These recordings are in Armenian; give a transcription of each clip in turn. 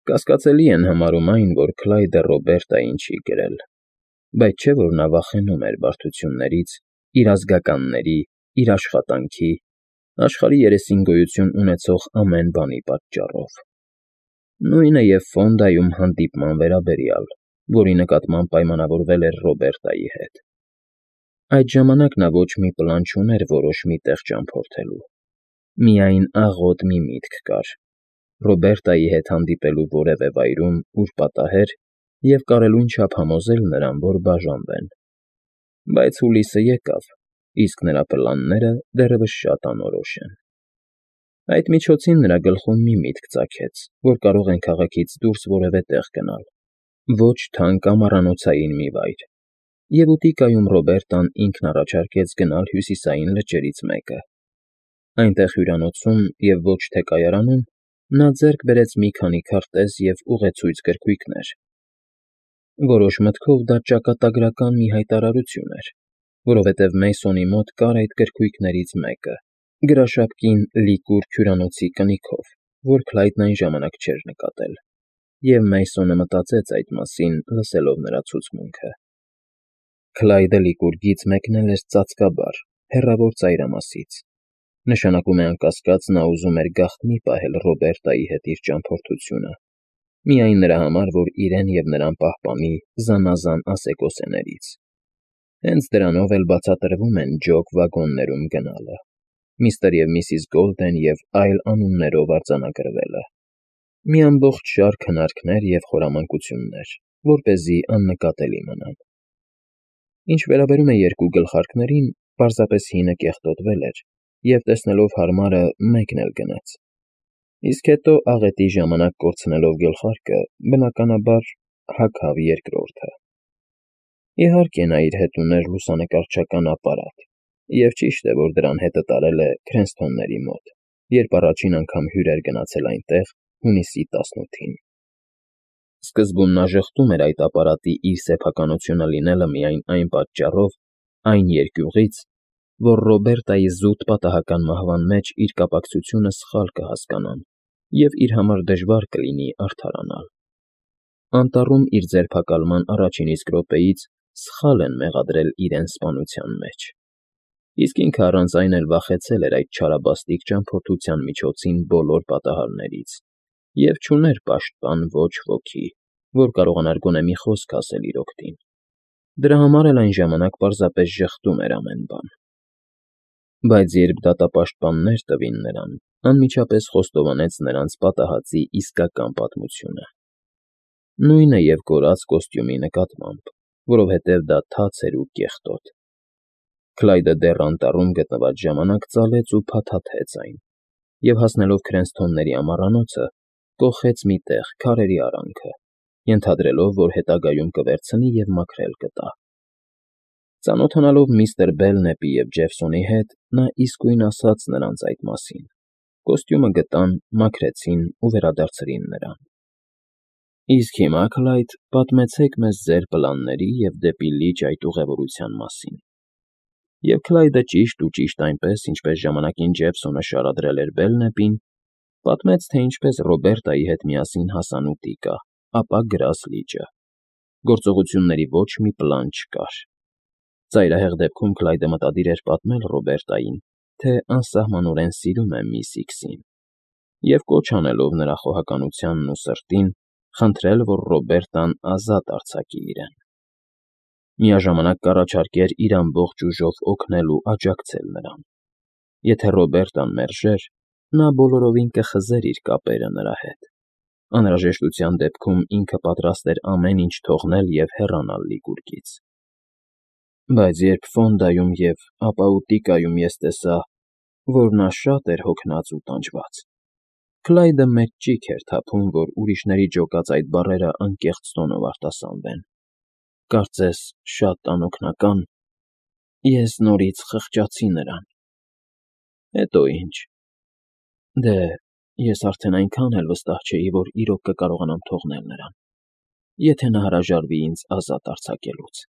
Կասկածելի են համարում այն, որ Քլայդը Ռոբերտային չի գրել, բայց չէ՞ որ նա վախենում էր բարդություններից, իր ազգականների, իր աշխատանքի, աշխարհի երեսին գոյություն ունեցող ամեն բանի պատճառով։ Նույնը և Ֆոնդայում հանդիպման վերաբերյալ, որի նկատմամբ պայմանավորվել էր Ռոբերտայի հետ։ Այդ ժամանակ նա ոչ մի պլան չուներ որոշ մի տեղ ճամփորդելու։ Միայն աղոտ մի միտք կար՝ Ռոբերտայի հետ հանդիպելու որևէ վայրում, ուր պատահեր, և կարելույն չափ համոզել նրան, որ բաժանվեն։ Բայց հուլիսը եկավ, իսկ նրա պլանները դեռևս շատ անորոշ են։ Այդ միջոցին նրա գլխում մի միտք ծագեց, որ կարող են քաղաքից դուրս որևէ տեղ գնալ, ոչ թանկ ամառանոցային մի վայր, և ուտիկայում Ռոբերտան ինքն առաջարկեց գնալ հյուսիսային լճերից մեկը։ Այնտեղ հյուրանոցում և ոչ թե կայարանում նա ձեռք բերեց մի քանի քարտեզ և ուղեցույց գրքույկներ։ Որոշ մտքով դա ճակատագրական մի հայտարարություն էր, որովհետև Մեյսոնի մոտ կար այդ գրքույկներից մեկը, գրաշապկին լիկուր հյուրանոցի կնիքով, որ Քլայդն այն ժամանակ չէր նկատել, և Մեյսոնը մտածեց այդ մասին, լսելով նրա ցուցմունքը։ Քլայդը լիկուրգից մեկնել էր ծածկաբար, հեռավոր ծայրամասից։ Նշանակում է անկասկած նա ուզում էր գաղտնի պահել Ռոբերտայի հետ իր ճամփորդությունը, միայն նրա համար, որ իրեն և նրան պահպանի զանազան ասեկոսեներից։ Հենց դրանով էլ բացատրվում են ջոկ վագոններում գնալը, միստր և միսիս Գոլդեն և այլ անուններով արձանագրվելը, մի ամբողջ շարք հնարքներ և խորամանկություններ, որպեսզի աննկատելի մնան։ Ինչ վերաբերում է երկու գլխարկներին, պարզապես հինը կեղտոտվել էր, և տեսնելով հարմարը մեկն էլ գնաց։ Իսկ հետո աղետի ժամանակ կորցնելով գլխարկը, բնականաբար, հագավ երկրորդը։ Իհարկե, նա իր հետ ուներ լուսանկարչական ապարատ, և ճիշտ է, որ դրան հետը տարել է Քրենսթոնների մոտ, երբ առաջին անգամ հյուր էր գնացել այնտեղ հունիսի 18-ին։ Սկզբում նա ժխտում էր այդ ապարատի իր սեփականությունը լինելը միայն այն պատճառով, այն երկյուղից, որ Ռոբերտայի զուտ պատահական մահվան մեջ իր կապակցությունը սխալ կհասկանան և իր համար դժվար կլինի արդարանալ։ Անտառում իր ձերբակալման առաջին իսկ րոպեից սխալ են մեղադրել իրեն սպանության մեջ։ Իսկ ինքը առանց այն էլ վախեցել էր այդ չարաբաստիկ ճամփորդության միջոցին բոլոր պատահարներից և չուներ պաշտպան ոչ ոքի, որ կարողանար գոնե մի խոսք ասել իր օգտին։ Դրա համար էլ այն ժամանակ պարզապես ժխտում էր ամեն բան։ Բայց երբ դատապաշտպաններ տվին նրան, անմիջապես խոստովանեց նրանց պատահածի իսկական պատմությունը։ Նույնը և կորած կոստյումի նկատմամբ, որովհետև դա թաց էր ու կեղտոտ։ Քլայդը դեռ անտառում գտնված ժամանակ ծալեց ու փաթաթեց այն, և հասնելով Քրենսթոնների ամառանոցը, կոխեց մի տեղ քարերի արանքը, ենթադրելով, որ հետագայում կվերցնի և մաքրել կտա։ Ծանոթանալով միստր Բելնեպի և Ջեֆսոնի հետ, նա իսկույն ասաց նրանց այդ մասին։ Կոստյումը գտան, մաքրեցին ու վերադարձրին նրան։ Իսկ հիմա, Քլայդ, պատմեցեք մեզ ձեր պլանների և դեպի լիճ այդ ուղևորության մասին։ Եվ Քլայդը ճիշտ այնպես, ինչպես ժամանակին Ջեֆսոնը շարադրել էր Բելնեպին, պատմեց, թե ինչպես Ռոբերտայի հետ միասին հասան ուտիկա, ապա գրազ լիճը։ Գործողությունների ոչ մի պլան չկար։ Ծայրահեղ դեպքում Քլայդը մտադիր էր պատմել Ռոբերտային, թե անսահմանորեն սիրում է միս Իքսին, և կոչ անելով նրա խոհականությանն ու սրտին, խնդրել, որ Ռոբերտան ազատ արձակի իրեն։ Միաժամանակ կառաջարկեր իր ամբողջ ուժով օգնել ու աջակցել նրան։ Եթե Ռոբերտան մերժեր, նա բոլորովին կխզեր իր կապերը նրա հետ։ Անհրաժեշտության դեպքում ինքը պատրաստ էր ամեն ինչ թողնել և հեռանալ Լիկուրգից։ Բայց երբ Ֆոնդայում և ապա ուտիկայում ես տեսա, որ նա շատ էր հոգնած ու տանջված, Քլայդը մեծ ճիգ էր թափում, որ ուրիշների ջոկած այդ բառերը անկեղծ տոնով արտասանվեն, կարծես շատ անօգնական, ես նորից խղճացի նրան։ Հետո ինչ։ Դե, ես արդեն այնքան էլ վստահ չէի, որ իրոք կկարողանամ թողնել նրան, եթե նա հրաժարվի ինձ ազատ արձակելուց։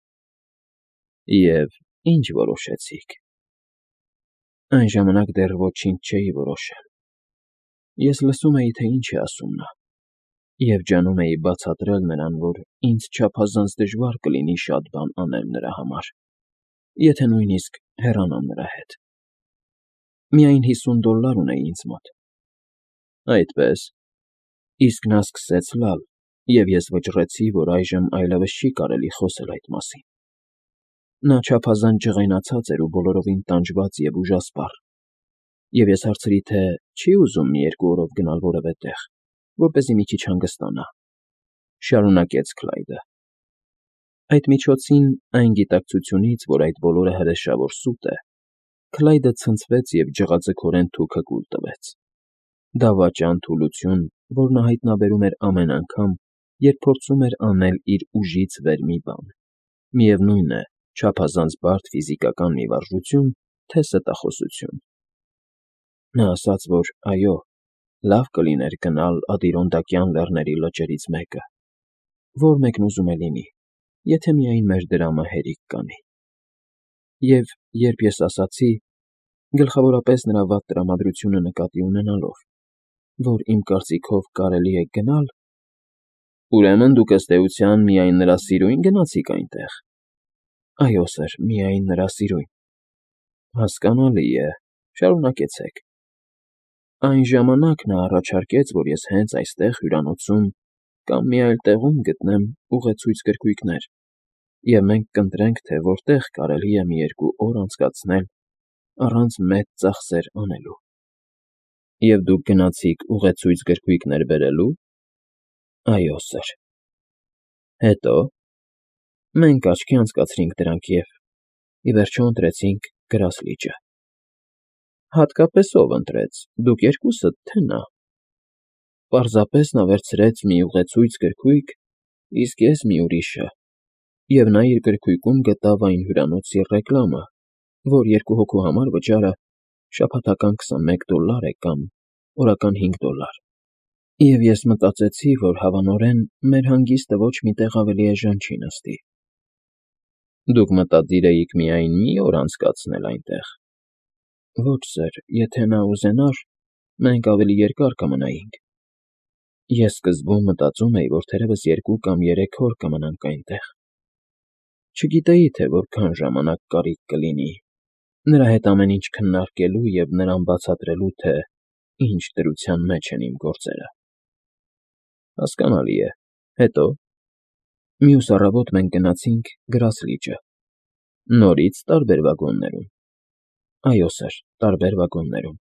Եվ ի՞նչ որոշեցիք։ Այն ժամանակ դեռ ոչինչ չէի որոշել։ Ես լսում էի, թե ինչ է ասում նա, Եվ ջանում էի բացատրել նրան, որ ինձ չափազանց դժվար կլինի շատ բան անել նրա համար, եթե նույնիսկ հեռանամ նրա հետ։ Միայն $50 ունեի ինձ մոտ։ Այդպես։ Իսկ նա սկսեց լալ, և ես վճռեցի, որ այժմ այլևս չի կարելի խոսել այդ մասին։ Նա չափազանց ջղայնացած էր ու բոլորովին տանջված և ուժասպառ, և ես հարցրի, թե չի ուզում մի երկու օրով գնալ որևէ տեղ, որպեսզի մի քիչ հանգստանա, շարունակեց Քլայդը։ Այդ միջոցին, այն գիտակցությունից, որ այդ բոլորը հրեշավոր սուտ է, Քլայդը ցնցվեց և ջղաձգորեն թուքը կուլ տվեց։ Դավաճան թուլություն, որ նա հայտնաբերում էր ամեն անգամ, երբ փորձում էր անել իր ուժից վեր մի բան, միևնույն է, չափազանց բարդ ֆիզիկական մի վարժություն, թե ստախոսություն։ Նա ասաց, որ այո, լավ կլիներ գնալ Ադիրոնդակյան լեռների լճերից մեկը, որ մեկն ուզում է լինի, եթե միայն մեր դրամը հերիք կանի։ Եվ երբ ես ասացի, գլխավորապես նրա վատ տրամադրությունը նկատի ունենալով, որ իմ կարծիքով կարելի է գնալ, ուրեմն դուք ըստ էության միայն նրա սիրուն գնացիք այնտեղ։ Այո, սըր, միայն նրա սիրուն։ Հասկանալի է, շարունակեցեք։ Այն ժամանակ նա առաջարկեց, որ ես հենց այստեղ հյուրանոցում կամ մի այլ տեղում գտնեմ ուղեցույց գրքույկներ, և մենք կընտրենք, թե որտեղ կարելի է մի երկու օր անցկացնել առանց մեծ ծախսեր անելու։ Եվ դուք գնացիք ուղեցույց գրքույկներ բերելու։ Այո, սըր։ Հետո։ Մենք աչքի անցկացրինք դրանք և, ի վերջո, ընտրեցինք Գրասլիճը։ Հատկապես ով ընտրեց, դուք երկուսը, թե նա։ Պարզապես նա վերցրեց մի ուղեցույց գրքույկ, իսկ ես մի ուրիշը, և նա իր գրքույկում գտավ այն հյուրանոցի ռեկլամը, որ երկու հոգու համար վճարը շաբաթական $21 է կամ օրական $5։ Եվ ես մտածեցի, որ հավանորեն մեր հանգիստը ոչ մի տեղ ավելի էժան չի նստի։ Դուք մտադիր էիք միայն մի օր անցկացնել այնտեղ։ Ոչ, սըր, եթե նա ուզենար, մենք ավելի երկար կմնայինք։ Ես սկզբում մտածում էի, որ թերևս 2 կամ 3 օր կմնանք այնտեղ։ Չգիտեի, թե որքան ժամանակ կարիք կլինի նրա հետ ամեն ինչ քննարկելու և նրան բացատրելու, թե ինչ դրության մեջ են իմ գործերը։ Հասկանալի է։ Հետո։ Մյուս առավոտ մենք գնացինք Գրասլիճը։ Նորից տարբեր վագոններում։ Այո, սըր, տարբեր վագոններում։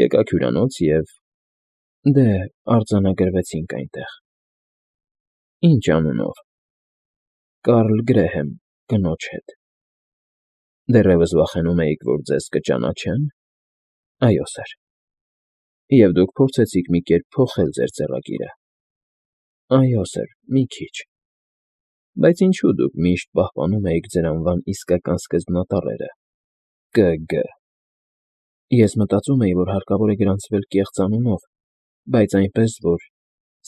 Եկաք հյուրանոց և… Դե, արձանագրվեցինք այնտեղ։ Ինչ անունով։ Կարլ Գրեհեմ, կնոջ հետ։ Դեռևս վախենում էիք, որ ձեզ կճանաչե՞ն։ Այո, սըր։ Եվ դուք փորձեցիք մի կերպ փոխել ձեր ձեռագիրը։ Այո, սըր, մի քիչ։ Բայց ինչո՞ւ դուք միշտ պահպանում էիք ձեր անվան իսկական սկզբնատառերը՝ Կ.Գ. Ես մտածում էի, որ հարկավոր է գրանցվել կեղծ անունով, բայց այնպես, որ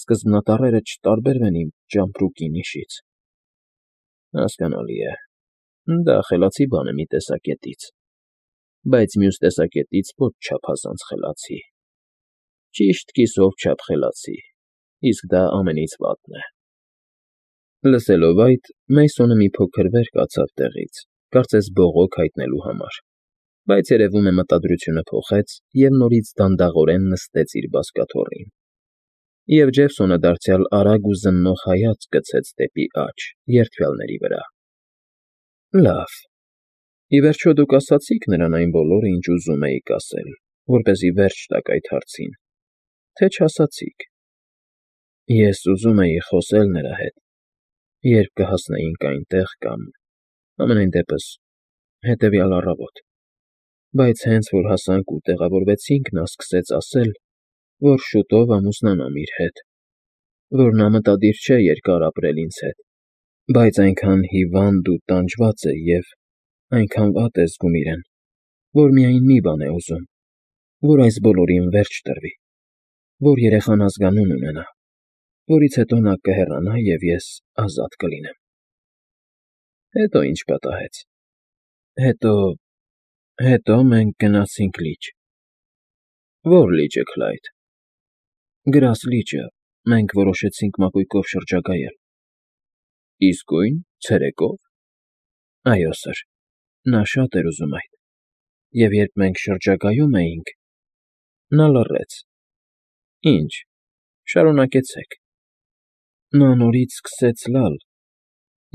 սկզբնատառերը չտարբերվեն իմ ճամպրուկի նիշից։ Հասկանալի է։ Դա խելացի բան է մի տեսակետից, բայց մյուս տեսակետից ոչ չափազանց խելացի։ Ճիշտ կիսով չափ խելացի, իսկ դա ամենից վատն է։ Լսելով այդ, Մեյսոնը մի փոքր վեր կացավ տեղից, կարծես բողոք հայտնելու համար, բայց երևում է մտադրությունը փոխեց և նորից դանդաղորեն նստեց իր բազկաթոռին։ Եվ Ջեֆսոնը դարձյալ արագ ու զննող հայացք գցեց դեպի աջ, երդվյալների վրա։ Լավ։ Ի վերջո դուք ասացիք նրան այն բոլորը, ինչ ուզում էիք ասել, որպեսզի վերջ տաք այդ հարցին, թե չասացիք։ Ես ուզում էի խոսել նրա հետ, երբ կհասնեինք այնտեղ կամ, համենայն դեպս, հետևյալ առավոտ, բայց հենց որ հասանք ու տեղավորվեցինք, նա սկսեց ասել, որ շուտով ամուսնանամ իր հետ, որ նա մտադիր չէ երկար ապրել ինձ հետ, բայց այնքան հիվանդ ու տանջված է և այնքան վատ է զգում իրեն, որ միայն մի բան է ուզում, որ այս բոլորին վերջ տրվի, որ երեխան ազգանուն ունենա, որից հետո նա կհեռանա, և ես ազատ կլինեմ։ Հետո ինչ պատահեց։ Հետո մենք գնացինք լիճ։ Ո՞ր լիճը, Քլայդ։ Գրասլիճը, մենք որոշեցինք մակույկով շրջագայել։ Իսկույն, ցերեկո՞վ։ Այո, սըր, նա շատ էր ուզում այդ, և երբ մենք շրջագայում էինք, նա լռեց։ Ինչ, շարունակեցեք։ Նա նորից սկսեց լալ,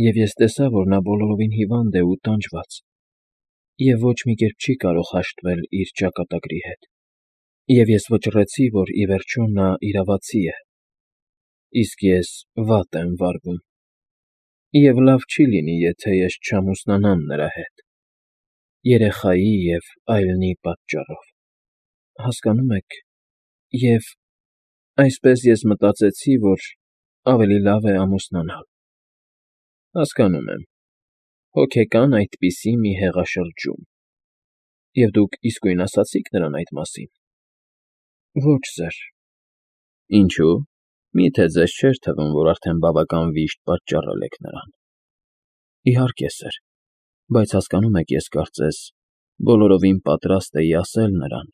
և ես տեսա, որ նա բոլորովին հիվանդ է ու տանջված, և ոչ մի կերպ չի կարող հաշտվել իր ճակատագրի հետ, և ես վճռեցի, որ ի վերջո նա իրավացի է, իսկ ես վատ եմ վարվում, և լավ չի լինի, եթե ես չամուսնանամ նրա հետ, երեխայի և այլնի պատճառով, հասկանո՞ւմ եք, և այսպես ես մտածեցի, որ ավելի լավ է ամուսնանալ։ Հասկանում եմ, հոգեկան այդպիսի մի հեղաշրջում։ Եվ դուք իսկույն ասացի՞ք նրան այդ մասին։ Ոչ, սըր։ Ինչո՞ւ։ Մի՞թե ձեզ չէր թվում, որ արդեն բավական վիշտ պատճառել եք նրան։ Իհարկե, սըր, բայց հասկանում եք, ես կարծես բոլորովին պատրաստ էի ասել նրան,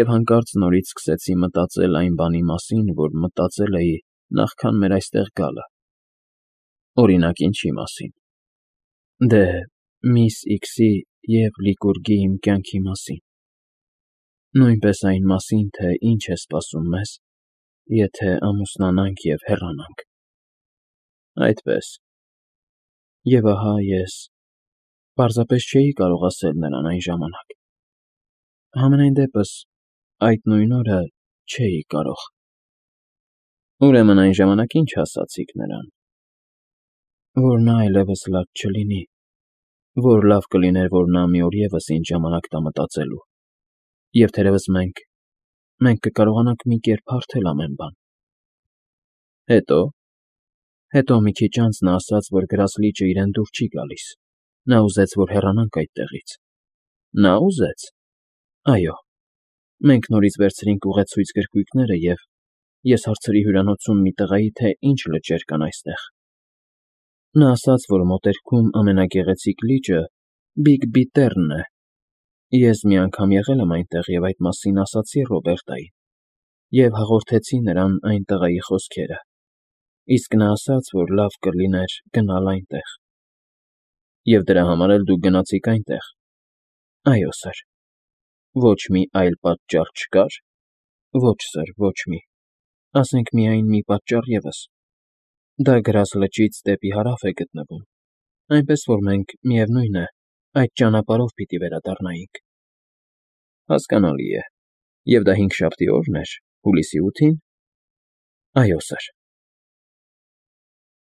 և հանկարծ նորից սկսեցի մտածել այն բանի մասին, որ մտածել էի նախքան մեր այստեղ գալը։ Օրինակ, ինչի մասին։ Դե, միս Իքսի և Լիկուրգի իմ կյանքի մասին, նույնպես այն մասին, թե ինչ է սպասում մեզ, եթե ամուսնանանք և հեռանանք։ Այդպես։ Եվ ահա ես պարզապես չէի կարող ասել նրան այն ժամանակ։ Համենայն դեպս, այդ նույն օրը չէի կարող։ Ուրեմն այն ժամանակ ինչ ասացիք նրան։ Որ նա այլևս լաց չլինի, որ լավ կլիներ, որ նա մի օր ևս ինձ ժամանակ տա մտածելու, և թերևս մենք կկարողանանք մի կերպ հարթել ամեն բան։ Հետո։ Հետո մի քիչ անց նա ասաց, որ գրած լիճը իրեն դուր չի գալիս, նա ուզեց, որ հեռանանք այդտեղից։ Նա ուզե՞ց։ Այո։ Մենք նորից վերցրինք ուղեցույց գրքույկները, և ես հարցրի հյուրանոցում մի տղայի, թե ինչ լճեր կան այստեղ։ Նա ասաց, որ մոտերքում ամենագեղեցիկ լիճը Բիգ Բիթեռնն է։ Ես մի անգամ եղել եմ այնտեղ և այդ մասին ասացի Ռոբերտային, և հաղորդեցի նրան այն տղայի խոսքերը, իսկ նա ասաց, որ լավ կլիներ գնալ այնտեղ։ Եվ դրա համար էլ դուք գնացիք այնտեղ։ Այո, սըր։ Ոչ մի այլ պատճառ չկա՞ր։ Ոչ, սըր, ոչ մի։ Ասենք միայն մի պատճառ ևս։ Դա գրած լճից դեպի հարավ է գտնվում, այնպես որ մենք, միևնույն է, այդ ճանապարհով պիտի վերադառնայինք։ Հասկանալի է։ Եվ դա հինգշաբթի օրն էր, հուլիսի 8-ին։ Այո, սըր։